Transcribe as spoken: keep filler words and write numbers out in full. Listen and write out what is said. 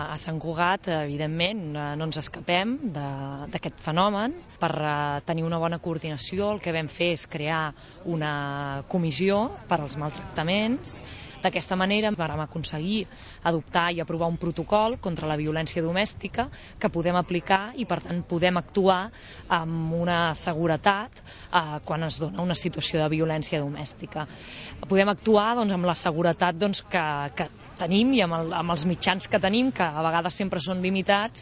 A Sant Cugat, evidentment, no ens escapem d'aquest fenomen. Per tenir una bona coordinació, el que vam fer és crear una comissió per als maltractaments. D'aquesta manera vam aconseguir adoptar i aprovar un protocol contra la violència domèstica que podem aplicar i, per tant, podem actuar amb una seguretat eh, quan es dona una situació de violència domèstica. Podem actuar doncs, amb la seguretat doncs, que, que tenim i amb, el, amb els mitjans que tenim, que a vegades sempre són limitats,